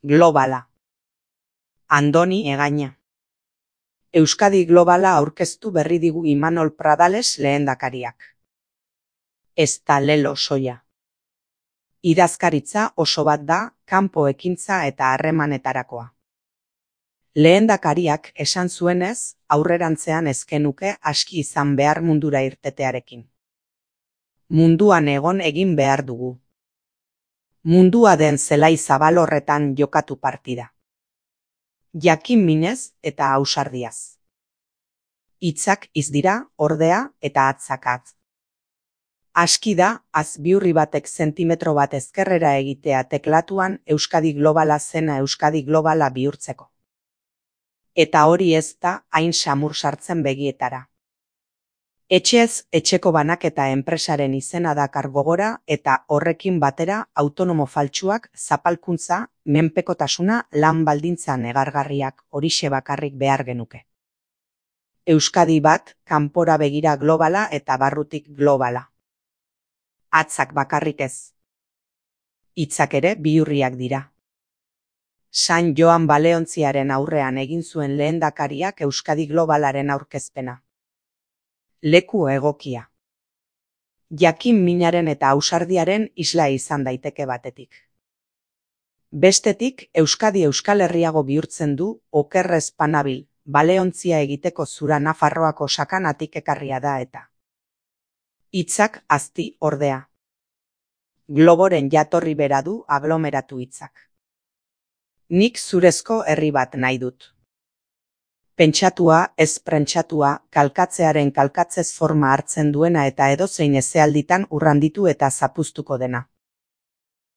Globala. Andoni Egaña. Euskadi Globala aurkeztu berri digu Imanol Pradales lehendakariak. Ez da lelo soia. Idazkaritza oso bat da kanpo ekintza eta harremanetarakoa. Lehendakariak esan zuenez, aurrerantzean ezkenuke aski izan behar mundura irtetearekin. Munduan egon egin behar dugu. Mundua den zelai zabal horretan jokatu partida. Jakin minez eta ausardiaz. Hitzak hitz dira, ordea eta atzak atz. Aski da, azbiurri batek zentimetro bat ezkerrera egitea teklatuan Euskadi Globala zena Euskadi Globala bihurtzeko. Eta hori ez da hain samur sartzen begietara. Etxez etxeko banaketa enpresaren izena dakar gogora eta horrekin batera autonomo faltsuak, zapalkuntza, menpekotasuna, lan baldintza negargarriak horixe bakarrik behar genuke. Euskadi bat, kanpora begira globala eta barrutik globala. Atzak bakarrik ez. Hitzak ere bihurriak dira. San Joan Baleontziaren aurrean egin zuen lehendakariak Euskadi Globalaren aurkezpena. Leku egokia. Jakin minaren eta ausardiaren isla izan daiteke batetik. Bestetik, Euskadi Euskal Herriago bihurtzen du, okerrez panabil, Baleontzia egiteko zura Nafarroako sakanatik ekarria da eta. Hitzak azti ordea. Globoren jatorri bera du aglomeratu hitzak. Nik zurezko herri bat nahi dut. Pentsatua, ez prentsatua, kalkatzearen kalkatzez forma hartzen duena eta edozein ezealditan urranditu eta zapuztuko dena.